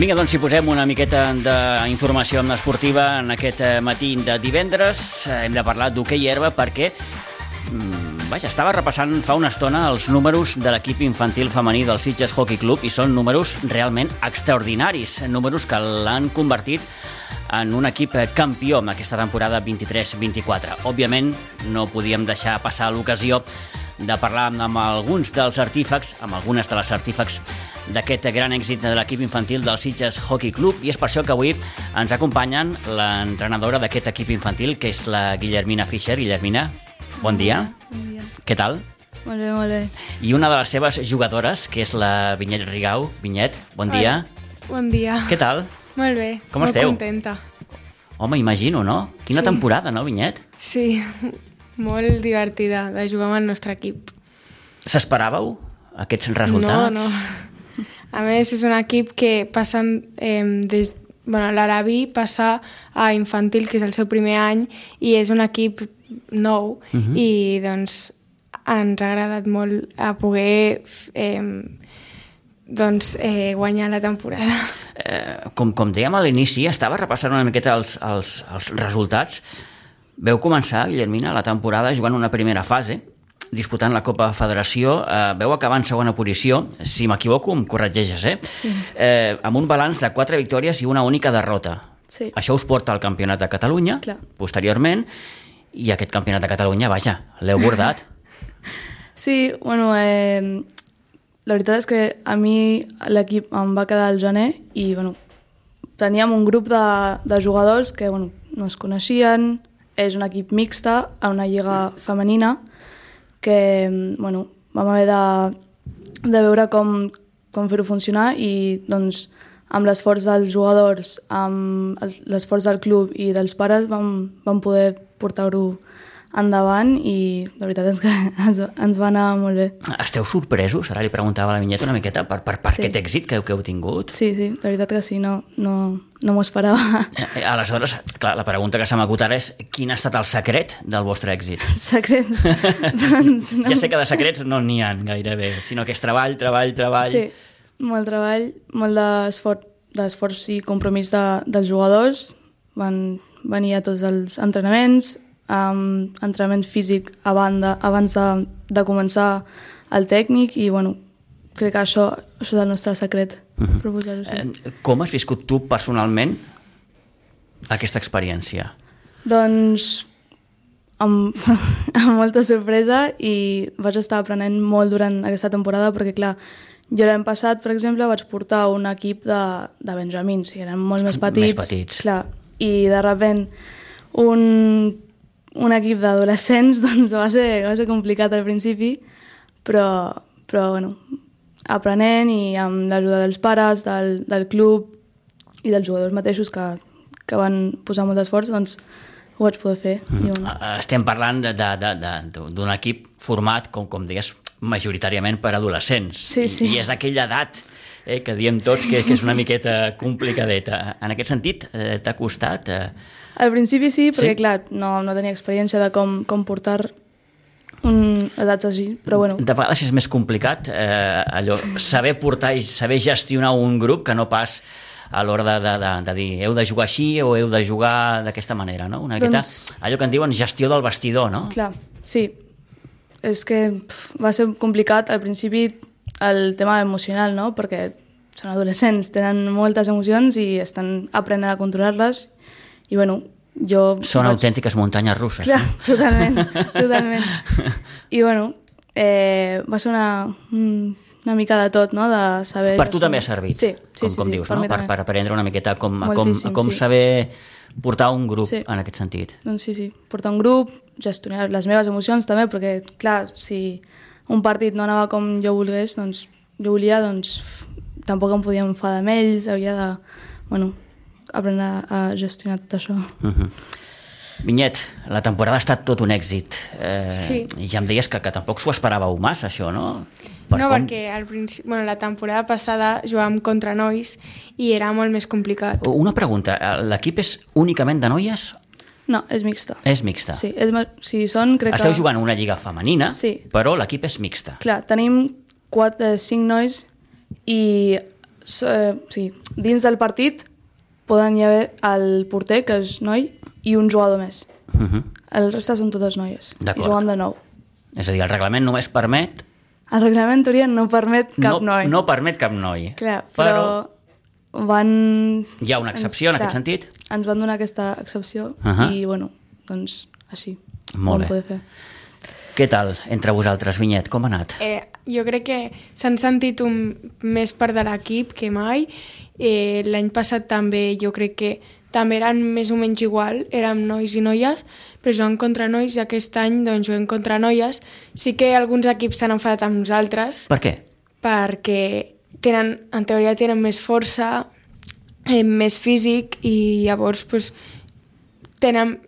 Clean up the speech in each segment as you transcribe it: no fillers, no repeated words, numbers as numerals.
Vinga, doncs, si posem una miqueta d'informació esportiva en aquest matí de divendres. Hem de parlar d'hoquei herba perquè estava repassant fa una estona els números de l'equip infantil femení del Sitges Hockey Club i són números realment extraordinaris, números que l'han convertit en un equip campió en aquesta temporada 23-24. Òbviament, no podíem deixar passar l'ocasió de parlar amb alguns dels artífecs, amb algunes de les artífecs d'aquest gran èxit de l'equip infantil del Sitges Hockey Club, i és per això que avui ens acompanyen l'entrenadora d'aquest equip infantil, que és la Guillermina Fischer. Guillermina, bon dia. Bon dia. Què tal? Molt bé, molt bé. I una de les seves jugadores, que és la Vinyet Rigau. Vinyet, bon dia. Bon dia. Què tal? Molt bé. Com esteu? Molt contenta. Home, imagino, no? Quina temporada, no, Vinyet? Sí, molt divertida de jugar amb el nostre equip. S'esperàveu aquests resultats? No. A més, és un equip que passen l'Arabi passa a infantil, que és el seu primer any, i és un equip nou, i doncs ens ha agradat molt a poder guanyar la temporada. Com dèiem a l'inici, estava repassant una miqueta els resultats. Veu començar, Guillermina, la temporada jugant una primera fase, disputant la Copa Federació. Veu acabar en segona posició, si m'equivoco em corregeixes, amb un balanç de 4 victòries i una única derrota. Sí. Això us porta al Campionat de Catalunya, Clar. Posteriorment, i aquest Campionat de Catalunya, l'heu bordat. Sí, la veritat és que a mi l'equip em va quedar al gener i teníem un grup de jugadors que no es coneixien. És un equip mixta a una lliga femenina que vam haver de veure com fer-ho funcionar, i doncs amb l'esforç dels jugadors, amb l'esforç del club i dels pares vam poder portar-ho endavant, i la veritat és que ens va anar molt bé. Esteu sorpresos? Ara li preguntava a la Vinyeta una miqueta per aquest èxit que heu tingut. Sí, la veritat que sí, no m'ho esperava. Aleshores, clar, la pregunta que se m'acut ara és: quin ha estat el secret del vostre èxit? Secret? Doncs no. Ja sé que de secrets no n'hi ha gairebé, sinó que és treball. Sí, molt treball, molt d'esforç i compromís dels jugadors. Van venir a tots els entrenaments, entrenament físic abans de començar el tècnic, i crec que això és el nostre secret, per posar-ho així. Com has viscut tu personalment aquesta experiència? Doncs amb molta sorpresa, i vaig estar aprenent molt durant aquesta temporada, perquè clar, jo l'any passat, per exemple, vaig portar un equip de benjamins, i eren molt més petits. Clar, i de sobte un equip d'adolescents doncs va ser complicat al principi, però aprenent, i amb l'ajuda dels pares, del club i dels jugadors mateixos que van posar molt d'esforç, doncs ho vaig poder fer. Estem parlant d'un equip format, com deies, majoritàriament per adolescents. Sí. I és aquella edat que diem tots que és una miqueta complicadeta. En aquest sentit, t'ha costat? Al principi sí, perquè clar, no tenia experiència de com portar edats així, però De vegades és més complicat saber portar i saber gestionar un grup que no pas a l'hora de dir heu de jugar així o heu de jugar d'aquesta manera, no? Una miqueta allò que en diuen gestió del vestidor, no? Clar, sí. És que va ser complicat al principi el tema emocional, no? Perquè són adolescents, tenen moltes emocions i estan aprenent a controlar-les, i Són autèntiques muntanyes russes. Clar, totalment. I va ser una mica de tot, no? De saber... Per tu també ha servit, sí, com dius, no? Per aprendre una miqueta com sí. saber portar un grup en aquest sentit. Doncs sí, portar un grup, gestionar les meves emocions també, perquè clar, si un partit no anava com jo volgués, doncs tampoc em podia enfadar amb ells, havia de aprendre a gestionar tot això. Vinyet, la temporada ha estat tot un èxit. Sí. Ja em deies que tampoc s'ho esperàveu massa, això, no? Perquè al principi, la temporada passada jugàvem contra nois i era molt més complicat. Una pregunta, l'equip és únicament de noies? No, és mixta. És mixta. Sí, Esteu jugant una lliga femenina, sí, però l'equip és mixta. Clar, tenim 5 nois, i sí, dins del partit poden hi haver el porter, que és noi, i un jugador més. El reste són totes noies. I juguen de nou. És a dir, el reglament només permet... El reglament, teoria, no permet cap noi. No permet cap noi. Clar, però van... Hi ha una excepció en aquest sentit? Ens van donar aquesta excepció i, bueno, doncs, així. Molt bé. Què tal entre vosaltres, Vinyet? Com ha anat? Jo crec que s'han sentit més part de l'equip que mai. L'any passat també jo crec que també eren més o menys igual, érem nois i noies, però jugant contra nois i aquest any doncs, juguem contra noies. Sí que alguns equips s'han enfadat amb nosaltres. Per què? Perquè en teoria tenen més força, més físic i llavors doncs,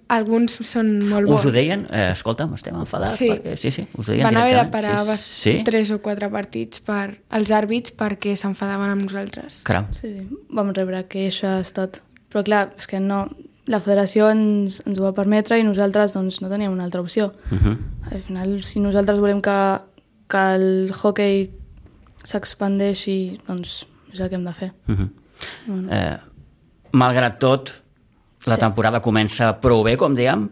alguns són molt bons. Us ho deien? Escolta'm, estem enfadats. Sí. Perquè... sí, us ho deien van haver de directament. parar 3 o 4 partits per als àrbits perquè s'enfadaven amb nosaltres. Caram. Sí, vam rebre queixes, tot. Però clar, és que no... La federació ens ho va permetre i nosaltres doncs, no teníem una altra opció. Al final, si nosaltres volem que el hoquei s'expandeixi, doncs és el que hem de fer. Malgrat tot, la temporada comença prou bé, com dèiem,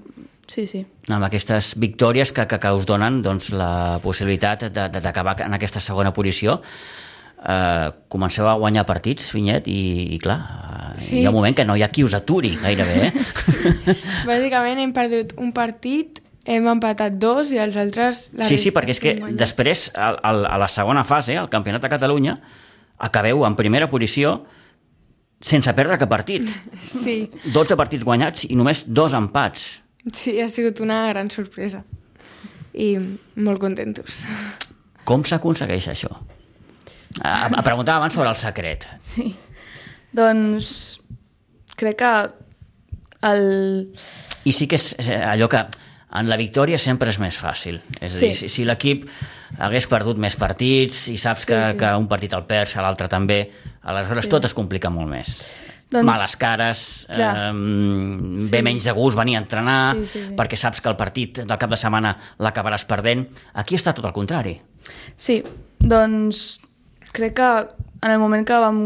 sí. amb aquestes victòries que us donen doncs, la possibilitat d'acabar en aquesta segona posició. Comenceu a guanyar partits, Vinyet, i clar, hi ha un moment que no hi ha qui us aturi gairebé. Sí. Bàsicament hem perdut un partit, hem empatat 2 i els altres... Sí, perquè és que després, a la segona fase, al Campionat de Catalunya, acabeu en primera posició sense perdre cap partit. Sí. 12 partits guanyats i només 2 empats. Sí, ha sigut una gran sorpresa. I molt contentos. Com s'aconsegueix això? Preguntava abans sobre el secret. Sí. Doncs crec que I sí que és allò que en la victòria sempre és més fàcil. És a dir, si l'equip hagués perdut més partits i saps que un partit el perds, l'altre també, aleshores tot es complica molt més. Males cares, ve menys de gust venir a entrenar, perquè saps que el partit del cap de setmana l'acabaràs perdent. Aquí està tot el contrari. Sí, doncs crec que en el moment que vam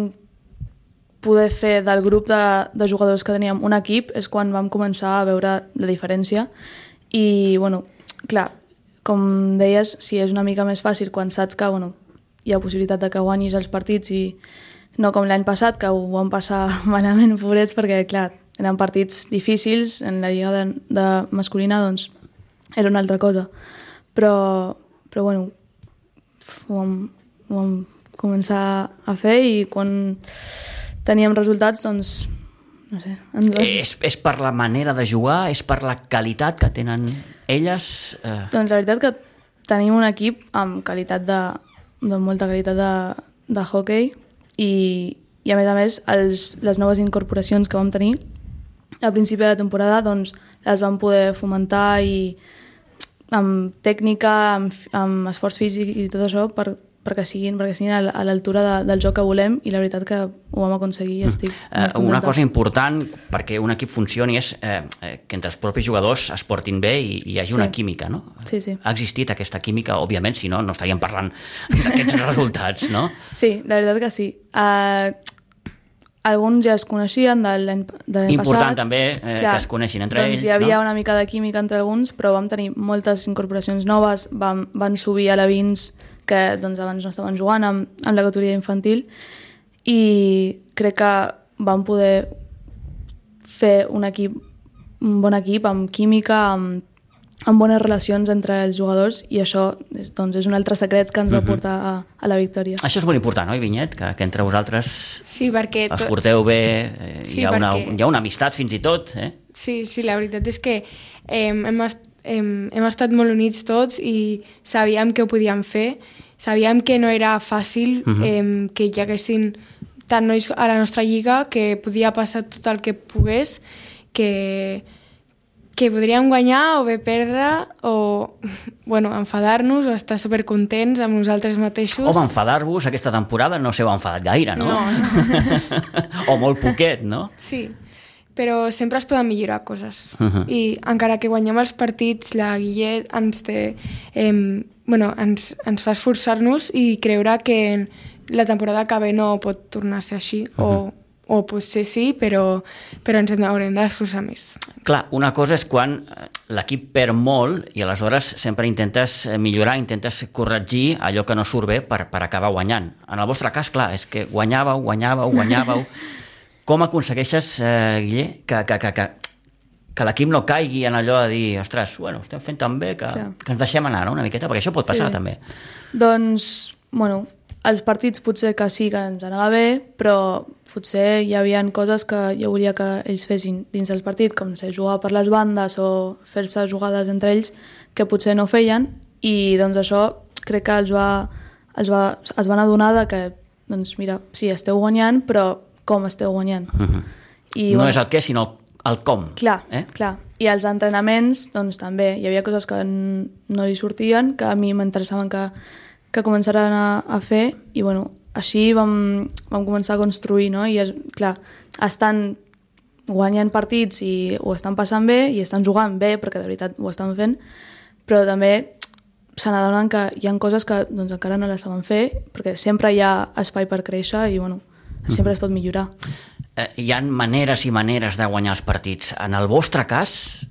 poder fer del grup de jugadors que teníem un equip és quan vam començar a veure la diferència i, bueno, clar, com deies, sí, és una mica més fàcil quan saps que, bueno, hi ha possibilitat de que guanyis els partits i no com l'any passat, que ho vam passar malament, pobrets, perquè, clar, eren partits difícils, en la lliga de masculina, doncs, era una altra cosa. Però bueno, ho vam començar a fer i quan teníem resultats, doncs, no sé... És per la manera de jugar? És per la qualitat que tenen elles? Doncs la veritat que tenim un equip amb qualitat de molta qualitat de hoquei i a més, les noves incorporacions que vam tenir al principi de la temporada doncs, les vam poder fomentar i amb tècnica, amb esforç físic i tot això perquè siguin a l'altura del joc que volem i la veritat que ho vam aconseguir i estic molt contenta. Una cosa important perquè un equip funcioni és que entre els propis jugadors es portin bé i hi hagi una química, no? Sí. Ha existit aquesta química, òbviament, si no, no estaríem parlant d'aquests resultats, no? Sí, la veritat que sí. Alguns ja es coneixien de l'any passat. Important també que es coneixin entre ells, no? Hi havia una mica de química entre alguns, però vam tenir moltes incorporacions noves, van subir a la Vins, que doncs, abans no estaven jugant amb la categoria infantil i crec que vam poder fer un bon equip amb química, amb bones relacions entre els jugadors i això doncs, és un altre secret que ens va portar a la victòria. Això és molt important, oi, Vinyet? Que entre vosaltres es porteu bé, hi ha una amistat fins i tot. Sí, la veritat és que hem estat molt units tots i sabíem que ho podíem fer, sabíem que no era fàcil que hi haguessin tant nois a la nostra lliga, que podia passar tot el que pogués, que podríem guanyar o bé perdre o enfadar-nos o estar supercontents amb nosaltres mateixos. Home, enfadar-vos aquesta temporada no s'heu enfadat gaire, no? O molt poquet, no? Sí, però sempre es poden millorar coses. I encara que guanyem els partits, la Guillet ens fa esforçar-nos i creure que la temporada que ve no pot tornar a ser així, o potser sí, però ens haurem d'esforçar més. Clar, una cosa és quan l'equip perd molt i aleshores sempre intentes millorar, intentes corregir allò que no surt bé per acabar guanyant. En el vostre cas, clar, és que guanyàveu. Com aconsegueixes, Guille, que l'equip no caigui en allò de dir, ostres, bueno, estem fent tan bé que ens deixem anar, no?, una miqueta, perquè això pot passar també. Doncs, bueno, els partits potser que sí que ens anava bé, però potser hi havia coses que jo volia que ells fessin dins del partit, com ser jugar per les bandes o fer-se jugades entre ells que potser no feien, i doncs això crec que es van adonar de que, doncs mira, sí, esteu guanyant, però com esteu guanyant? I, no és el què, sinó el com. Clar. I als entrenaments, doncs també, hi havia coses que no li sortien, que a mi m'interessaven que començaran a fer, i bueno, així vam començar a construir, no? I clar, estan guanyant partits i ho estan passant bé i estan jugant bé, perquè de veritat ho estan fent, però també se n'adonen que hi ha coses que doncs, encara no les saben fer, perquè sempre hi ha espai per créixer i bueno, sempre es pot millorar. Hi ha maneres i maneres de guanyar els partits. En el vostre cas,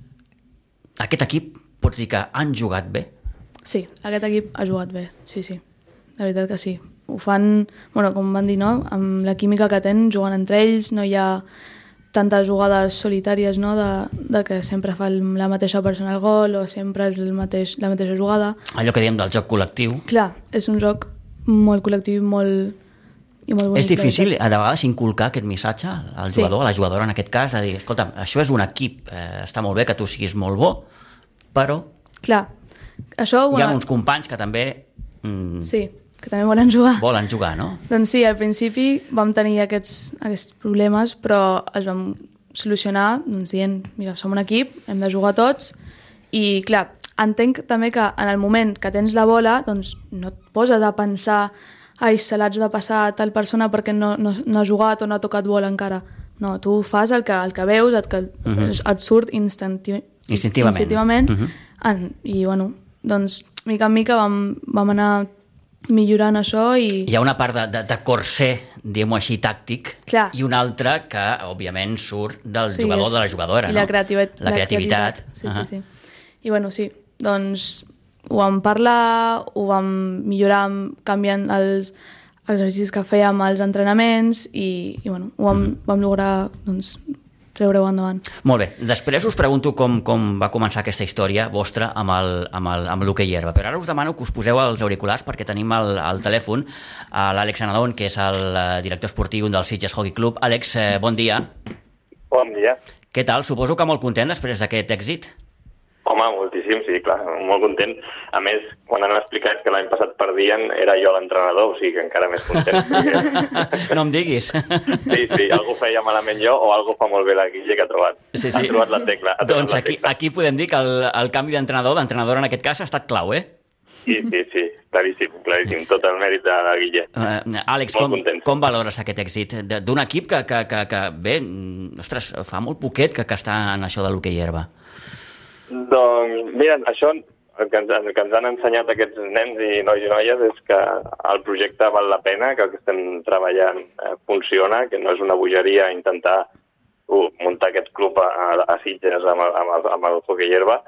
aquest equip pots dir que han jugat bé? Sí, aquest equip ha jugat bé, sí. La veritat que sí. Ho fan, bueno, com van dir, no? Amb la química que tenen, jugant entre ells, no hi ha tantes jugades solitàries, no?, de que sempre fa la mateixa persona el gol o sempre és la mateixa jugada. Allò que diem del joc col·lectiu. Clar, és un joc molt col·lectiu i molt bonic. És difícil, de vegades, inculcar aquest missatge al jugador, a la jugadora en aquest cas, de dir, escolta, això és un equip, està molt bé que tu siguis molt bo, però clar, això, hi ha uns companys que també... Sí, que també volen jugar. Volen jugar, no? Doncs sí, al principi vam tenir aquests problemes, però els vam solucionar doncs, dient, mira, som un equip, hem de jugar tots, i clar, entenc també que en el moment que tens la bola, doncs no et poses a pensar ai, se l'haig de passar a tal persona perquè no ha jugat o no ha tocat bola encara. No, tu fas el que veus, et surt instintivament. I bueno, doncs mica en mica vam anar millorant això i... Hi ha una part de corser, diguem-ho així, tàctic, clar, i una altra que, òbviament, surt del jugador o de la jugadora, i no? la creativitat. Sí. I bueno, sí, doncs ho vam parlar, ho vam millorar canviant els exercicis que fèiem als entrenaments i bueno, ho vam lograr doncs, treure-ho endavant. Molt bé, després us pregunto com va començar aquesta història vostra amb l'hoquei herba, però ara us demano que us poseu els auriculars perquè tenim al telèfon l'Àlex Anadón, que és el director esportiu del Sitges Hockey Club. Àlex, bon dia. Bon dia. Què tal? Suposo que molt content després d'aquest èxit? Home, moltíssim, sí, clar, molt content. A més, quan han explicat que l'any passat perdien, era jo l'entrenador, o sigui que encara més content. No em diguis. Sí, algú feia malament jo o algú fa molt bé la Guille que ha trobat. Sí. Ha trobat la tecla. Doncs aquí podem dir que el canvi d'entrenadora en aquest cas ha estat clau, eh? Sí, claríssim. Tot el mèrit de la Guille. Àlex, com valores aquest èxit d'un equip que bé, ostres, fa molt poquet que està en això de l'hoquei herba? Doncs, mira, això el que ens han ensenyat aquests nens i nois i noies és que el projecte val la pena, que el que estem treballant funciona, que no és una bogeria intentar muntar aquest club a Sitges amb el hoquei herba,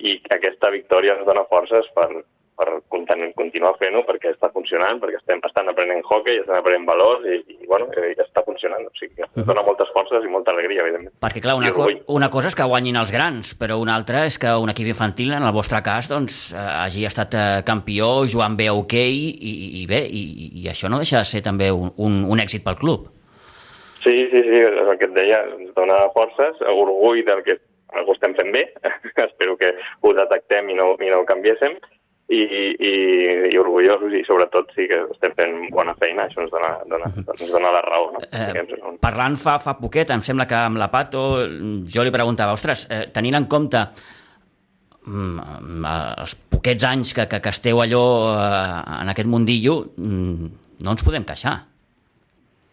i aquesta victòria ens dona forces per continuar fent-ho, perquè està funcionant, perquè estan aprenent hoquei, estan aprenent valors i bueno, està funcionant. O sigui, ens dona moltes forces i molta alegria, evidentment. Perquè, clar, una cosa és que guanyin els grans, però una altra és que un equip infantil, en el vostre cas, doncs, hagi estat campió, jugant bé a hoquei, i bé, i això no deixa de ser també un èxit pel club. Sí, el que et deia, ens dona forces, orgull del que algú estem fent bé, espero que ho detectem i no ho canviéssim, i orgullosos, i sobretot sí que estem fent bona feina, això ens dona la raó. No? Parlant fa poquet, em sembla que amb la Pato jo li preguntava, ostres, tenint en compte els poquets anys que esteu allò en aquest mundillo, no ens podem queixar.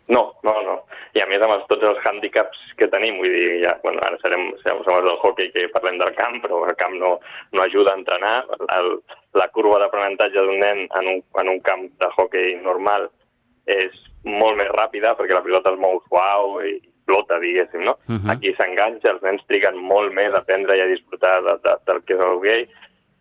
No. I a més amb tots els hàndicaps que tenim, vull dir, ja, bueno, ara som els del hoquei que parlem del camp, però el camp no ajuda a entrenar. La curva d'aprenentatge d'un nen en un camp de hoquei normal és molt més ràpida perquè la pilota es mou suau i flota, diguéssim, no? Aquí s'enganxa, els nens triguen molt més a aprendre i a disfrutar del que és el hoquei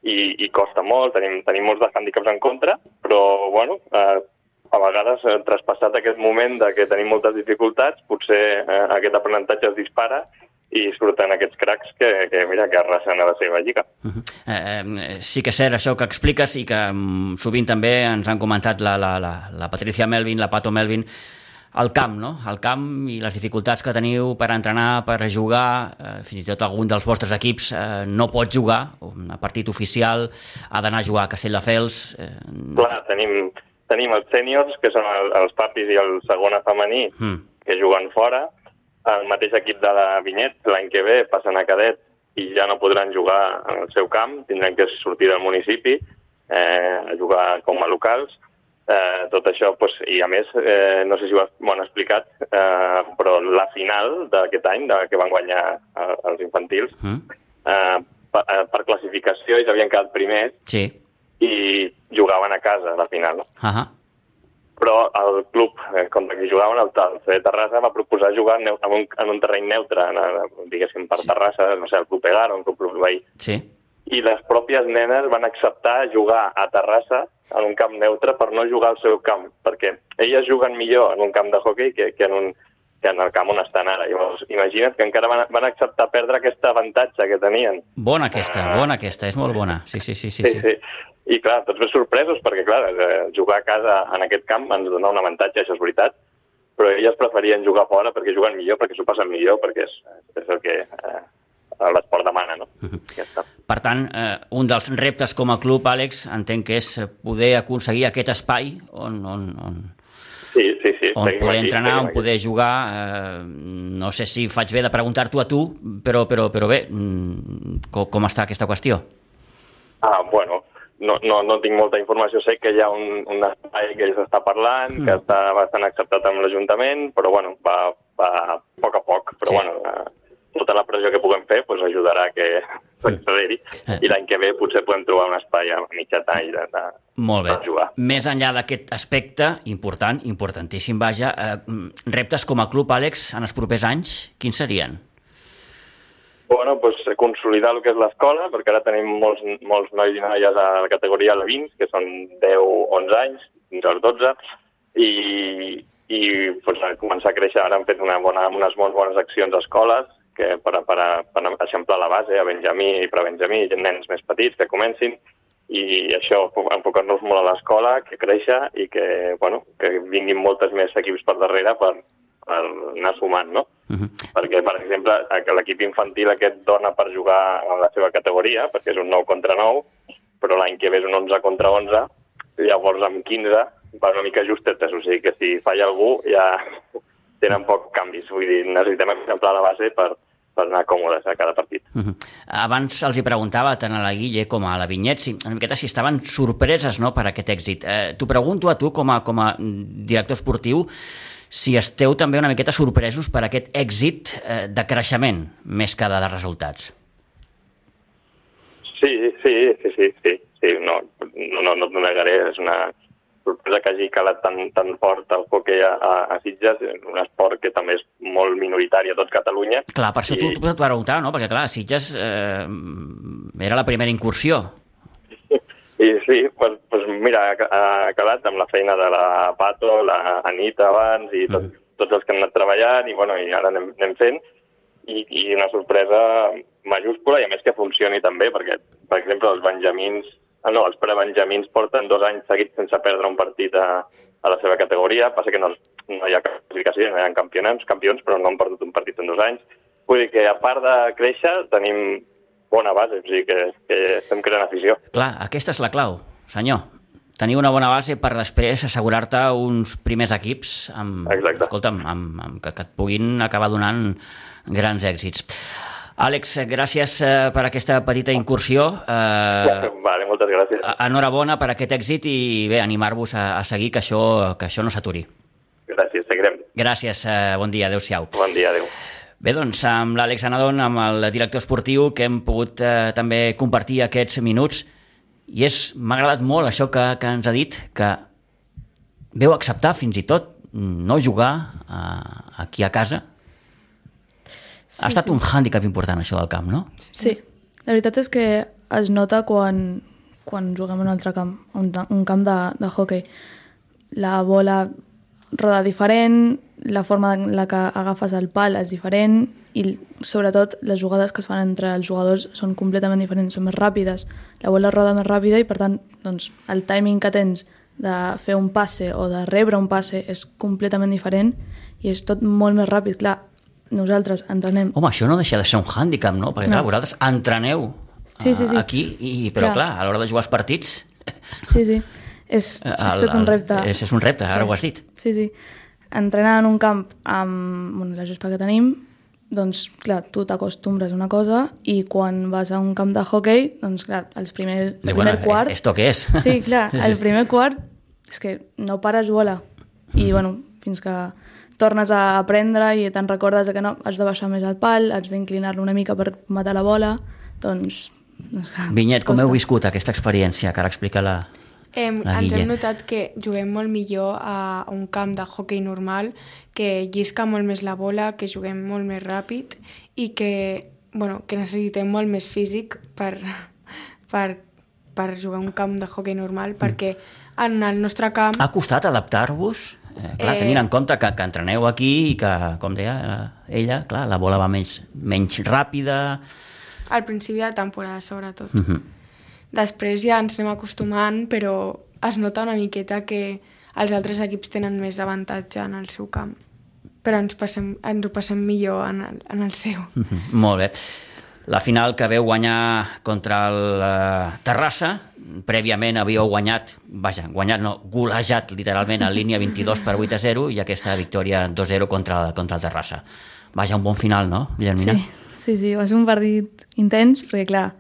i costa molt, tenim molts de hàndicaps en contra, però, bueno, a vegades, traspassat aquest moment de que tenim moltes dificultats, potser aquest aprenentatge es dispara i surten aquests cracs que arrasen a la seva lliga. Sí que és cert això que expliques i que sovint també ens han comentat la Patricia Melvin, la Pato Melvin, el camp, no? El camp i les dificultats que teniu per entrenar, per jugar, fins i tot algun dels vostres equips no pot jugar, un partit oficial, ha d'anar a jugar a Castelldefels. Clar, tenim els sèniors, que són els papis i el segona femení, que juguen fora. El mateix equip de la Vinyet, l'any que ve, passen a cadet i ja no podran jugar en el seu camp, tindran que sortir del municipi a jugar com a locals. Tot això, i a més, no sé si ho han explicat, però la final d'aquest any, que van guanyar els infantils, per classificació ells havien quedat primers i jugaven a casa a la final. Però el club contra qui jugaven, el CD Terrassa, va proposar jugar en un terreny neutre, diguéssim, per Terrassa, no sé, el club Egar o el club Veí. I les pròpies nenes van acceptar jugar a Terrassa en un camp neutre per no jugar al seu camp, perquè elles juguen millor en un camp de hoquei que en el camp on estan ara. Llavors, imagina't que encara van acceptar perdre aquest avantatge que tenien. Bona aquesta, és molt bona. Sí. I clar, tots més sorpresos, perquè clar, jugar a casa en aquest camp ens dona un avantatge, això és veritat, però elles preferien jugar fora perquè juguen millor, perquè s'ho passen millor, perquè és el que l'esport demana, no? Per tant, un dels reptes com a club, Àlex, entenc que és poder aconseguir aquest espai on poder entrenar, on poder jugar. No sé si faig bé de preguntar-t'ho a tu, però bé, com està aquesta qüestió? Bueno, no tinc molta informació, sé que hi ha un espai que s'està parlant, que està bastant acceptat amb l'Ajuntament, però bueno, va a poc a poc, però bueno, tota la pressió que puguem fer ajudarà a que s'acceleri i l'any que ve potser podem trobar un espai a mitjà tall de jugar. Més enllà d'aquest aspecte important, importantíssim, vaja, reptes com a club, Àlex, en els propers anys, quins serien? Bueno, consolidar el que és l'escola, perquè ara tenim molts nois i noies a la categoria alevins, que són 10-11 anys, fins als 12, i començar a créixer. Ara han fet unes molt bones accions a escoles per eixamplar la base a Benjamí i prebenjamí, nens més petits que comencin, i això, enfocar-nos molt a l'escola, que créixer i que vinguin moltes més equips per darrere per anar sumant, no? Perquè, per exemple, l'equip infantil aquest dona per jugar a la seva categoria, perquè és un 9 contra 9, però l'any que ve és un 11 contra 11, llavors amb 15 va una mica justetes, o sigui que si falla algú ja tenen pocs canvis, vull dir, necessitem exemplar la base per anar còmodes a cada partit. Abans els hi preguntava tant a la Guille com a la Vinyet una miqueta si estaven sorpreses, no, per aquest èxit. T'ho pregunto a tu com a director esportiu, si esteu també una miqueta sorpresos per aquest èxit de creixement més que de resultats. Sí, no t'ho negaré, és una sorpresa que hagi calat tan fort el hoquei a Sitges, un esport que també és molt minoritari a tot Catalunya. Clar, per això t'ho preguntava, no? Perquè clar, Sitges era la primera incursió. Sí, mira, ha calat amb la feina de la Pato, la Anita abans i tots els que han anat treballant i ara anem fent i una sorpresa majúscula i a més que funcioni també perquè, per exemple, els prebenjamins porten 2 anys seguits sense perdre un partit a la seva categoria, passa que no hi ha classificació, no hi ha campions, però no han perdut un partit en 2 anys. Vull dir que a part de créixer tenim bona base, o sigui que estem creant afició. Clar, aquesta és la clau, senyor. Tenir una bona base per després assegurar-te uns primers equips que et puguin acabar donant grans èxits. Àlex, gràcies per aquesta petita incursió. Vale, moltes gràcies. Enhorabona per aquest èxit i bé, animar-vos a seguir, que això no s'aturi. Gràcies, seguirem. Gràcies, bon dia, adéu-siau. Bon dia, adéu. Bé, doncs, amb l'Àlex Anadon, amb el director esportiu, que hem pogut també compartir aquests minuts, i m'ha agradat molt això que ens ha dit, que veu acceptar fins i tot no jugar aquí a casa. Ha estat un hàndicap important això del camp, no? Sí, la veritat és que es nota quan juguem en un altre camp, un camp de hoquei. La bola roda diferent, la forma en la que agafes el pal és diferent i sobretot les jugades que es fan entre els jugadors són completament diferents, són més ràpides. La bola roda més ràpida i per tant doncs, el timing que tens de fer un passe o de rebre un passe és completament diferent i és tot molt més ràpid. Clar, nosaltres entrenem... Home, això no deixa de ser un hàndicap, no? Perquè clar, vosaltres entreneu aquí, però clar, a l'hora de jugar els partits... Sí. És tot un repte. És un repte, ara ho has dit. Sí. Entrenar en un camp amb la gespa que tenim, doncs, clar, tu t'acostumbres a una cosa i quan vas a un camp de hoquei, doncs, clar, el primer quart... ¿Esto qué es? Sí, clar, el primer quart és que no pares bola. I, bueno, fins que tornes a aprendre i te'n recordes que no, has de baixar més el pal, has d'inclinar-lo una mica per matar la bola, doncs clar, Vinyet, com heu viscut aquesta experiència que ara explica la ens hem notat que juguem molt millor a un camp de hoquei normal, que llisca molt més la bola, que juguem molt més ràpid i que necessitem molt més físic per jugar a un camp de hoquei normal, perquè en el nostre camp... Ha costat adaptar-vos? Clar, tenint en compte que entreneu aquí i que, com deia ella, clar, la bola va menys ràpida... Al principi de temporada, sobretot. Després ja ens anem acostumant, però es nota una miqueta que els altres equips tenen més avantatge en el seu camp. Però ens ho passem millor en el seu. Molt bé. La final que veu guanyar contra el Terrassa, prèviament havíeu golejat literalment en línia 22-8-0 i aquesta victòria 2-0 contra el Terrassa. Un bon final, no, Guillermina? Sí, va ser un partit intens, perquè clar,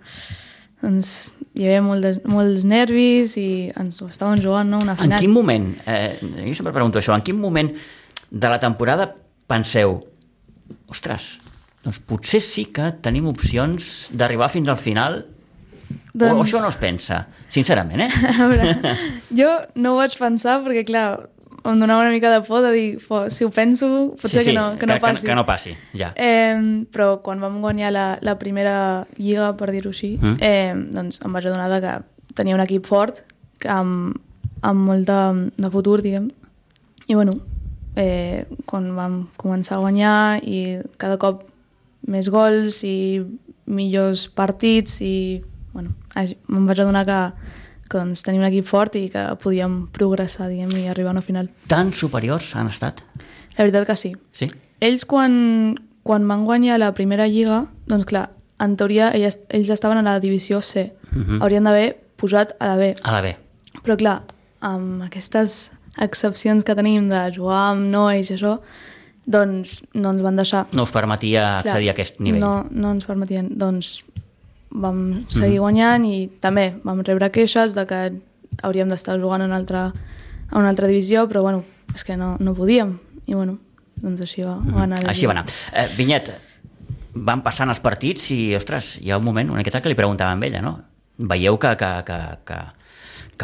doncs, hi havia molts nervis i ens ho estàvem jugant, no?, una final. En quin moment, jo sempre pregunto això, en quin moment de la temporada penseu, ostres, doncs potser sí que tenim opcions d'arribar fins al final, o això no es pensa, sincerament, A veure, jo no ho vaig pensar perquè, clar, em donava una mica de por de dir, si ho penso, potser que no passi. Que no passi, ja. Però quan vam guanyar la primera lliga, per dir-ho així, doncs em vaig adonar que tenia un equip fort, amb molt de futur, diguem. I bueno, quan vam començar a guanyar i cada cop més gols i millors partits i bueno, em vaig adonar que doncs, tenim un equip fort i que podíem progressar, diguem, i arribar a una final. Tan superiors han estat? La veritat que sí. Sí? Ells, quan van guanyar la primera lliga, doncs clar, en teoria ells estaven a la divisió C. Haurien d'haver posat a la B. A la B. Però clar, amb aquestes excepcions que tenim de jugar amb nois i això, doncs no ens van deixar. No us permetia accedir a aquest nivell. No ens permetien. Doncs vam seguir guanyant i també vam rebre queixes de que hauríem d'estar jugant a una altra divisió, però bueno, és que no podíem. I bueno, doncs així va anar. Així va anar. Vinyet, van passant els partits i, ostres, hi ha un moment, una miqueta que li preguntava a ella, no? Veieu que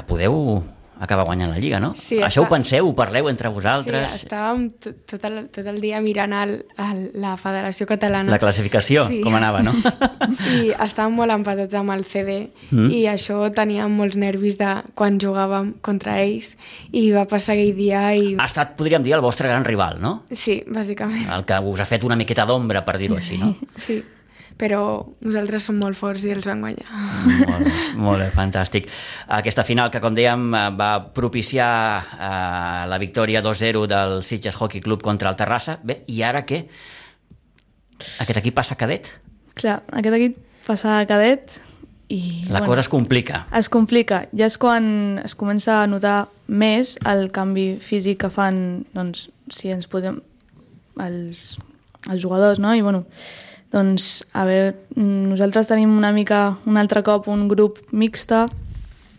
podeu acabar guanyant la Lliga, no? Sí, això ho penseu, ho parleu entre vosaltres? Sí, estàvem tot el dia mirant la Federació Catalana. La classificació, sí. Com anava, no? I estàvem molt empatats amb el CD i això teníem molts nervis de quan jugàvem contra ells i va passar aquell dia i... Ha estat, podríem dir, el vostre gran rival, no? Sí, bàsicament. El que us ha fet una miqueta d'ombra, per dir-ho així, no? Sí. Però nosaltres som molt forts i els vam guanyar. Molt bé, fantàstic. Aquesta final que, com dèiem, va propiciar la victòria 2-0 del Sitges Hockey Club contra el Terrassa. Bé, i ara què? Aquest equip passa a cadet? Clar, aquest equip passa a cadet i... La cosa es complica. Es complica. Ja és quan es comença a notar més el canvi físic que fan, doncs, si ens posem els jugadors, no? I, bueno... Doncs, a veure, nosaltres tenim un altre cop un grup mixta,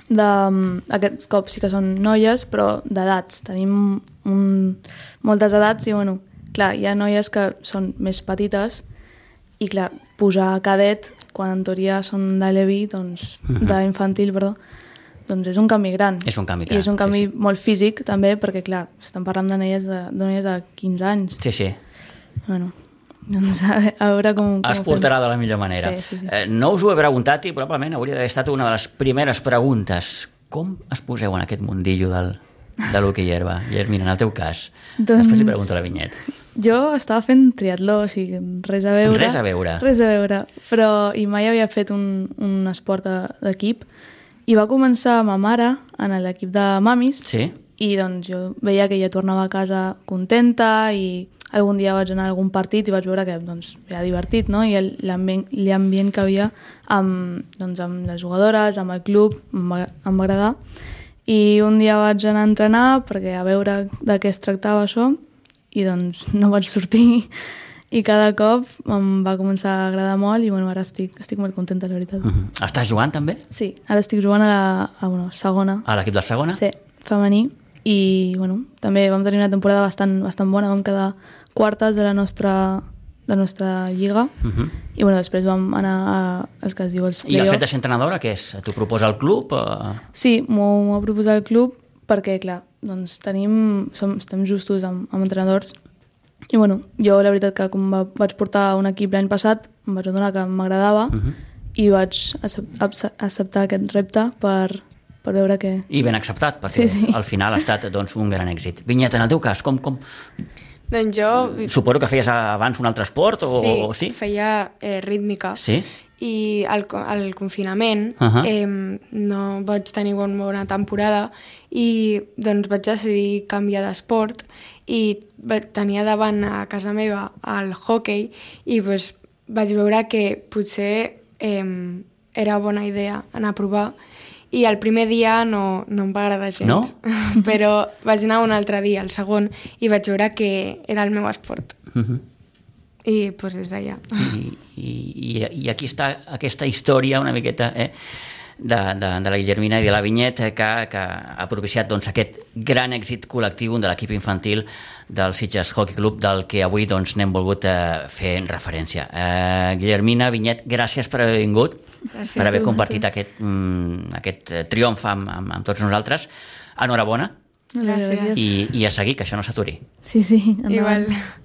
aquests cops sí que són noies, però d'edats. Tenim moltes edats i, bueno, clar, hi ha noies que són més petites i, clar, posar cadet, quan en teoria són de l'EVI, doncs, d'infantil, perdó, doncs és un canvi gran. És un canvi I és un canvi sí. molt físic, també, perquè, clar, estem parlant de noies de 15 anys. Sí, sí. Bueno, doncs a veure com Es portarà de la millor manera. Sí. No us ho he preguntat i probablement hauria d'haver estat una de les primeres preguntes. Com es poseu en aquest mundillo de l'hoquei herba? Guillermina, en el teu cas. Després li pregunto a la Vinyet. Jo estava fent triatló, o sigui, res a veure. Res a veure. Res a veure, però i mai havia fet un esport d'equip. I va començar ma mare en l'equip de mamis. Sí? I doncs jo veia que ella tornava a casa contenta i algun dia vaig anar a algun partit i vaig veure que doncs, era divertit, no? I l'ambient que havia amb les jugadores, amb el club, em va agradar. I un dia vaig anar a entrenar perquè a veure de què es tractava això i doncs no vaig sortir i cada cop em va començar a agradar molt i bueno, ara estic molt contenta, la veritat. Estàs jugant també? Sí, ara estic jugant a segona. A l'equip de segona? Sí, femení. I bueno, també vam tenir una temporada bastant bona, vam quedar quartes de la nostra lliga i bueno, després vam anar als que es diu els I el fet de ser entrenadora, què és? T'ho proposa el club? Sí, m'ho ha proposat el club perquè, clar, doncs estem justos amb entrenadors i bueno, jo la veritat que com vaig portar un equip l'any passat em vaig adonar que m'agradava i vaig acceptar aquest repte per veure que... I ben acceptat, perquè sí. al final ha estat doncs, un gran èxit. Vinyet, en el teu cas, com... Doncs jo... Suposo que feies abans un altre esport? Sí, feia rítmica. Sí? I al confinament no vaig tenir una bona temporada i doncs vaig decidir canviar d'esport i tenia davant a casa meva el hoquei i doncs, vaig veure que potser era bona idea anar a provar i el primer dia no em va agradar gens. No? Però vaig anar un altre dia, el segon, i vaig veure que era el meu esport. I doncs des d'allà. I aquí està aquesta història una miqueta de la Guillermina i de la Vinyet que ha propiciat doncs, aquest gran èxit col·lectiu de l'equip infantil del Sitges Hockey Club del que avui doncs, n'hem volgut fer referència. Guillermina, Vinyet, gràcies per haver vingut, per haver compartit aquest triomf amb tots nosaltres. Enhorabona. Gràcies. I a seguir, que això no s'aturi. Sí, endavant. Igual.